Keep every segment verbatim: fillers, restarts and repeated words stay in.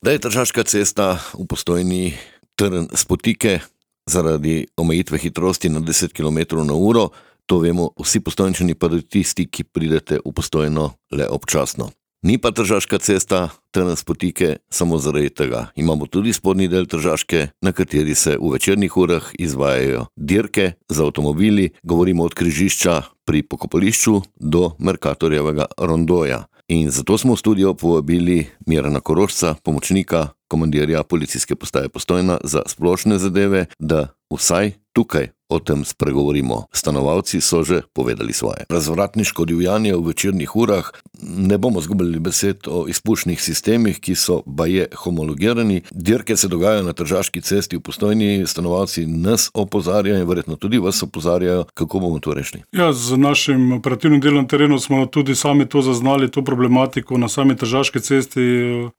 Da je Tržaška cesta v Postojni trn spotike zaradi omejitve hitrosti na deset kilometrov na uro, to vemo vsi Postojnčani, pa tudi tisti, ki pridete v Postojno le občasno. Ni pa Tržaška cesta trn spotike samo zaradi tega. Imamo tudi spodnji del Tržaške, na kateri se v večernih urah izvajajo dirke z avtomobili, govorimo od križišča pri Pokopališču do Mercatorjevega rondoja. In zato smo v studio povabili Mirana Korošca, pomočnika komandirja policijske postaje Postojna za splošne zadeve, da vsaj tukaj o tem spregovorimo. Stanovalci so že povedali svoje. Razvratniško divjanje v večernih urah, ne bomo zgubili besed o izpušnih sistemih, ki so baje homologirani. Dirke se dogajajo na Tržaški cesti v Postojni, stanovalci nas opozarjajo in verjetno tudi vas opozarjajo, kako bomo to rešili. Ja, z našim operativnim delom na terenu smo tudi sami to zaznali, to problematiko na sami Tržaški cesti,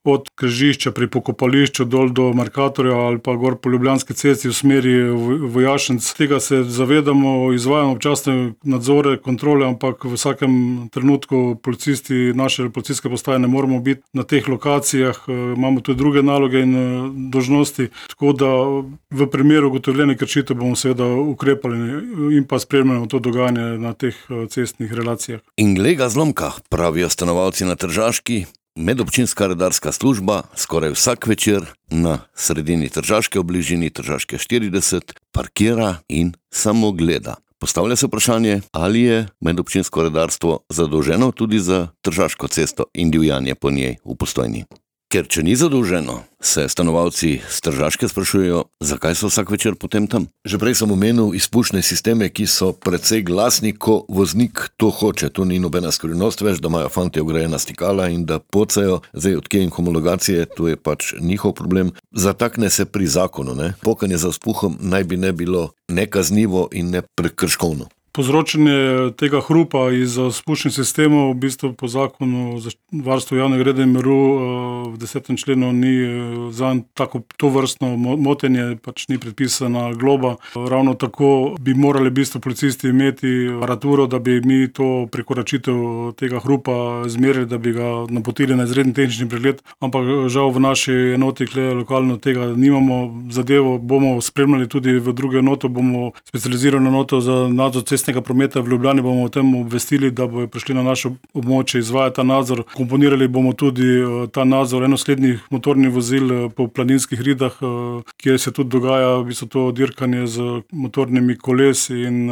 od križišča pri Pokopališču dol do Mercatorja ali pa gor po Ljubljanski cesti v smeri Vojašenc. Tega se zavedamo, izvajamo občasne nadzore, kontrole, ampak v vsakem trenutku policisti naše policijske postaje ne moramo biti na teh lokacijah, imamo tudi druge naloge in dolžnosti, tako da v primeru ugotovljene kršitev bomo seveda ukrepali in pa spremljamo to dogajanje na teh cestnih relacijah. In glej ga zlomka, pravijo stanovalci na Tržaški, medobčinska redarska služba skoraj vsak večer na sredini Tržaške, v bližini Tržaške štirideset, parkira in samo gleda. Postavlja se vprašanje, ali je medobčinsko redarstvo zadolženo tudi za Tržaško cesto in divjanje po njej v Postojni. Ker če ni zadolženo, se stanovalci z Tržaške sprašujejo, zakaj so vsak večer potem tam. Že prej sem omenil izpušne sisteme, ki so precej glasni, ko voznik to hoče. To ni nobena skrivnost več, da imajo fantje vgrajena stikala in da pocajo. Zdaj odkje in homologacije, to je pač njihov problem. Zatakne se pri zakonu, ne? Pokanje za vzpuhom naj bi ne bilo nekaznivo in ne prekrškovno. Povzročanje tega hrupa iz spuščnih sistemov v bistvu po zakonu za varstvo javnega reda in miru v desetem členu ni zanj tako tovrstno motenje, pač ni predpisana globa. Ravno tako bi morali v bistvu policisti imeti aparaturo, da bi mi to prekoračitev tega hrupa zmerili, da bi ga napotili na izredni tehnični pregled, ampak žal v naši enoti lokalno tega nimamo. Zadevo bomo spremljali tudi v druge enoto, bomo specializirano enoto za nadzor cestnega prometa v Ljubljani, bomo o tem obvestili, da bojo prišli na naše območje izvajati ta nadzor. Komponirali bomo tudi ta nadzor enoslednih motornih vozil po planinskih ridah, kjer se tudi dogaja v bistvu to dirkanje z motornimi kolesi in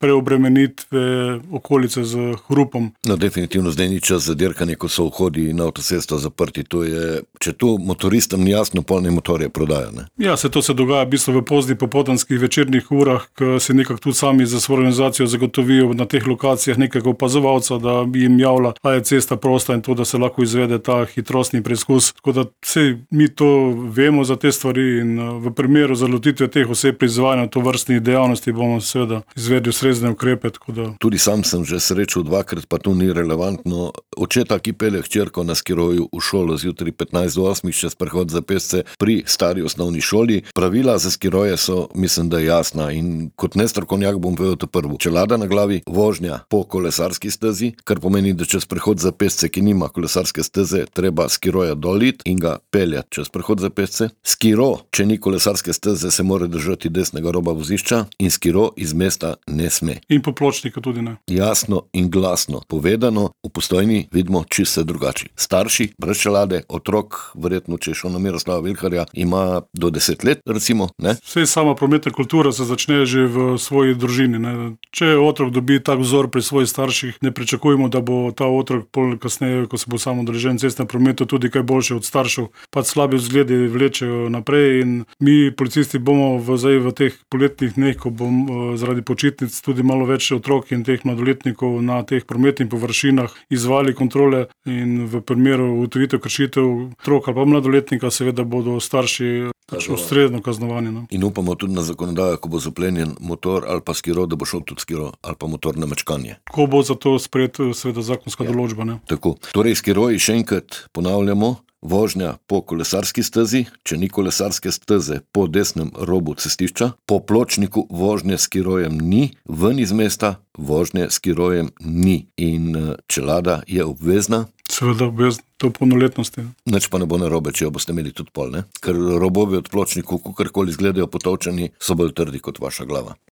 preobremenitve okolice z hrupom. No, definitivno zdaj ni čas za dirkanje, ko so vhodi na avtocesto zaprti. To je, če to motoristom ni jasno, polne motorje prodajo, ne? Ja, se to se dogaja v bistvu v pozni popoldanskih večernih urah, ko se nekako tudi sami za svojo organizacijo zagotovijo na teh lokacijah nekega opazovalca, da jim javlja, a je cesta prosta in to, da se lahko izvede ta hitrostni preizkus. Tako da vse mi to vemo za te stvari in v primeru zalotitve teh oseb pri izvajanju tovrstnih dejavnosti bomo seveda izvedli ustrezne ukrepe. Tako da... Tudi sam sem že srečal dvakrat, pa to ni relevantno. Očeta, ki pelje hčerko na skiroju v šolo zjutraj petnajst do osmih čez prehod za pešce pri stari osnovni šoli. Pravila za skiroje so, mislim, da jasna in kot nestrokovnjak bom povedal to prvo. Čelada na glavi, vožnja po kolesarski stezi, kar pomeni, da čez prehod za pešce, ki nima kolesarske steze, treba skiroja dolit in ga peljati čez prehod za pešce. Skiro, če ni kolesarske steze, se mora držati desnega roba vozišča in skiro iz mesta ne sme. In po pločniku tudi ne. Jasno in glasno povedano, v Postojni vidimo čisto drugače. Starši, brez čelade, otrok, verjetno če šel na Miroslava Vilharja, ima do deset let, recimo, ne? Vse sama prometna kultura se začne že v svoji družini, ne? Če otrok dobi tak vzor pri svojih starših, ne pričakujemo, da bo ta otrok pol kasneje, ko se bo samo udeležen cestnem prometu, tudi kaj boljše od staršev. Pač slabi vzgledi vlečejo naprej in mi, policisti, bomo v, zdaj, v teh poletnih dneh, ko bom zaradi počitnic tudi malo več otrok in teh mladoletnikov na teh prometnih površinah izvali kontrole in v primeru ugotovitev kršitev otrok ali pa mladoletnika seveda bodo starši ustrezno kaznovani. No? In upamo tudi na zakonodajo, ko bo zaplenjen motor ali pa skiro, da bo šel tudi skiro ali pa motor na mečkanje. Ko bo za to sprejet seveda zakonska ja. določba. Ne? Tako. Torej, skiroji še enkrat ponavljamo, vožnja po kolesarski stezi, če ni kolesarske steze po desnem robu cestišča, po pločniku vožnje s skirojem ni, ven iz mesta vožnje s skirojem ni in čelada je obvezna. seveda obvezno, to v polnoletnosti. Nič pa ne bo narobe, če jo boste imeli tudi pol, ne? Ker robovi od pločnikov, kakorkoli izgledajo potovčani, so bolj trdi kot vaša glava.